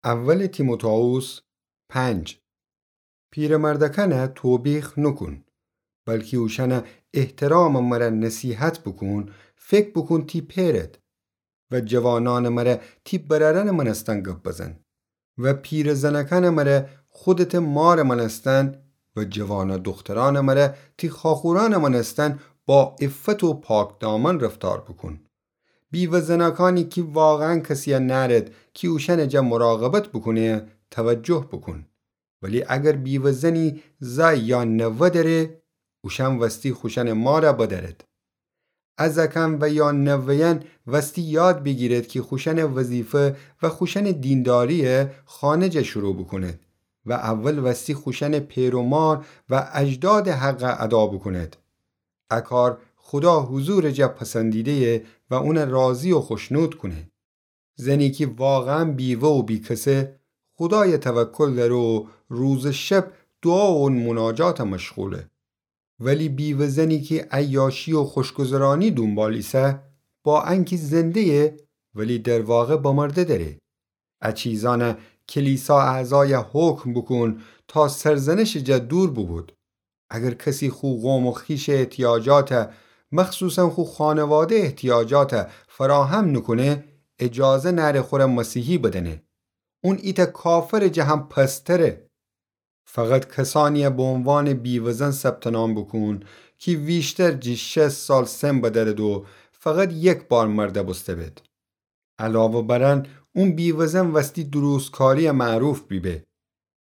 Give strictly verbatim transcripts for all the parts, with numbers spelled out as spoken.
اول تیموتائوس پنج. پیرمردکأنَ توبیخ نوکون، بلکی اوشأنَ احترامٚ مره نصیحت بوکون، فکر بوکون تی پئرد. و جوانأنٚ مره تی برأرأنٚ مأنستن گب بزن. و پیرٚ زنکأنٚ مره خودتٚ مارٚ مأنستن، و جوانٚ دوخترأنٚ مره تی خواخورأنٚ مأنستن با عفت و پاکدامن رفتار بوکون. بیوه زناکأنی کی واقعاً کسیَ نأرد کی اوشأنٚ جا مراقبت بوکونه، توجه بوکون. ولی اگر بیوه زنی زأی یا نوه دأره، اوشأن وستی خوشأنٚ مارَ بدأرد. ا زأکأن و یا نوه‌یأن وستی یاد بیگیرد کی خوشأنٚ وظیفه و خوشأنٚ دینداریَ خانه جا شروع بوکوند و اول وستی خوشأنٚ پئر و مار و اجدادٚ حقَ ادا بوکوند. ا کار خودا حضورٚ جا پسندیده‌یه و اونَ راضی و خوشنود کونه. زنی کی واقعاً بیوه و بیکسه، خودایَ توکل دأره و روز و شب دوعا و مناجاتَ مشغوله. ولی بیوه زنی کی عیاشی و خوشگذرانی دونبال ایسه، با انکی زنده‌یه، ولی در واقع بمرده دأره. ا چیزأنَ کلیسا اعضایَ حکم بوکون تا سرزنشٚ جا دور بوبود. اگر کسی خو قوم و خویشٚ احتیاجاتَ، مخصوصاً خو خانواده احتیاجاتَ فراهم نوکونه، اجازه نأره خورَ مسیحی بدأنه. اون ایتأ کافرٚ جا هم پست‌تره. فقط کسأنیَ به عنوانٚ بیوه‌زن ثبت‌نام بوکون کی ویشتر جی شصت سال سن بدأرد و فقط یک بار مرده بوسته بید. علاوه بر ان، اون بیوه‌زن وستی درستکاری‌یَ معروف بیبه.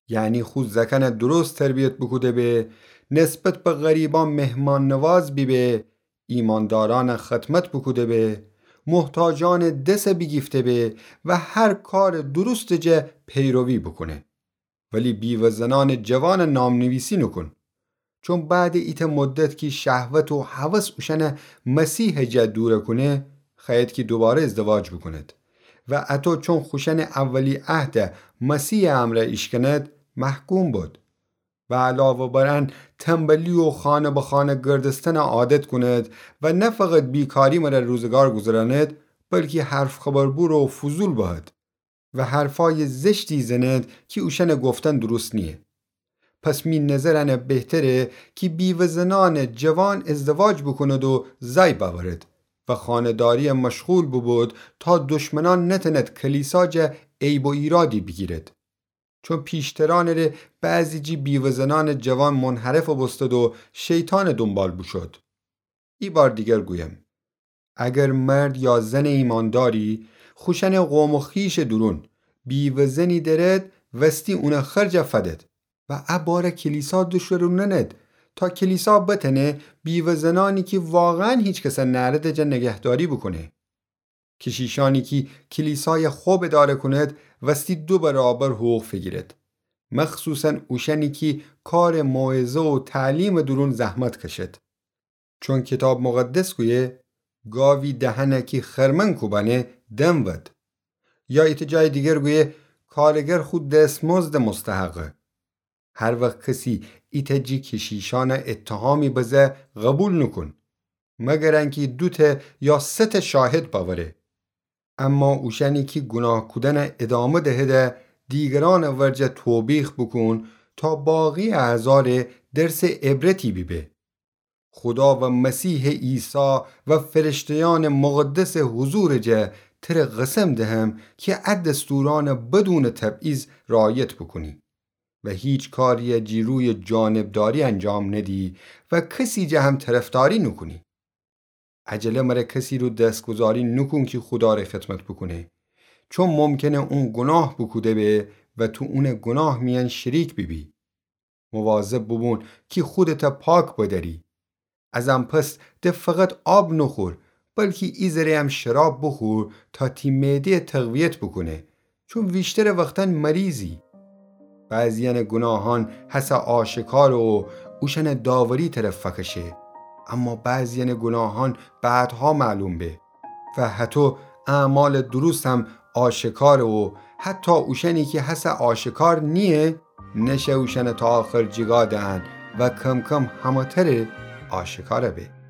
یعنی خو زأکأنَ درست تربیت بوکوده به، نسبت به غریبأن مهمان‌نواز بیبه، ایماندارأنَ خدمت بوکوده به، محتاجأنٚ دسَ بیگیفته به و هر کارٚ درستٚ جا پیروی بوکونه. ولی بیوه زنأنٚ جوانَ نام‌نویسی نوکون. چون بعدٚ ایتأ مدت کی شهوت و هوس اوشأنَ مسیحٚ جا دورَ کونه، خوأید کی دوباره ازدواج بوکوند. و اطو چون خوشأنٚ اولی عهدَ مسیحٚ امرأ ایشکند، محکوم بد. و علاوه بر ان، تنبلی و خانه به خانه گردستنَ عادت کند و نه فقط بیکاری مره روزگار گوذراند، بلکی حرف خبر بور و فضول بهد و حرفأیٚ زشتی زند کی اوشأنٚ گفتن درست نییه. پس می نظر انه بهتره کی بیوه زنأنٚ جوان ازدواج بوکوند و زأی بأورد و خانه‌داری‌یَ مشغول بوبود تا دشمنأن نتند کلیسا جا عیب و ایرادی بیگیرد. چون پیشترأنٚ ره بعضی جی بیوه زنأنٚ جوان منحرف بوستد و شیطانٚ دونبال بوشود. ای بار دیگر گویم، اگر مرد یا زنٚ ایمانداری خوشأنٚ قوم و خویشٚ دورون بیوه زنی دأرد، وستی اونٚ خرجَ فدد و ا بارَ کلیسا دوشوروننید تا کلیسا بتأنه بیوه زنأنی کی واقعاً هیچ کسَ نأردٚ جا نگهداری بوکونه. کشیشأنی کی کلیسایَ خب اداره کونید، وستی دو برابر حقوق فیگیرید. مخصوصاً اوشأنی کی کارٚ موعظه و تعلیمٚ دورون زحمت کشید. چون کیتاب مقدس گویه، گاوی دهنَ کی خرمن کوبأنه دم ود. یا ایتأ جایٚ دیگر گویه، کارگر خو دستمزدٚ مستحقه. هر وخت کسی ایتأ جی کشیشأنَ اتهامی بزه، قوبیل نوکون، مگر انکی دوتأ یا سه‌تأ شاهد بأوره. اما اوشأنی کی گوناه کودنَ ادامه دهده، دیگرأنٚ ورجه توبیخ بوکون تا باقی اعضا ره درسٚ عبرتی بیبه. خودا و مسیحٚ عیسی و فرشته‌یأنٚ مقدسٚ حضورٚ جا تره قسم دهم کی ا دستورأنَ بدونٚ تبعیض رعایت بوکونی و هیچ کاریَ جی رویٚ جانبداری انجام ندی و کسی جا هم طرفداری نوکونی. عجله مره کسی رو دستگذاری نوکون کی خودا ره خدمت بوکونه، چون ممکنه اون گوناه بوکوده به و تو اونٚ گوناه میأن شریک بیبی. مواظب بوبون کی خودتَ پاک بدأری. از ان پس د فقط آب نوخور، بلکی ایذره‌یم شراب بوخور تا تی معده‌یَ تقویت بوکونه، چون ویشترٚ وختأن مریضی. بعضی‌یأنٚ گوناهأن هسه آشکاره و اوشأنٚ داوری طرف فکشه، اما بعضی‌یأنٚ گوناهأن بعدها معلوم به. و هتو اعمالٚ درستم آشکاره و حتی اوشأنی کی هسه آشکار نییه، نشه اوشأنَ تا آخر جیگا دهن و کم‌کم همه‌تره آشکاره به.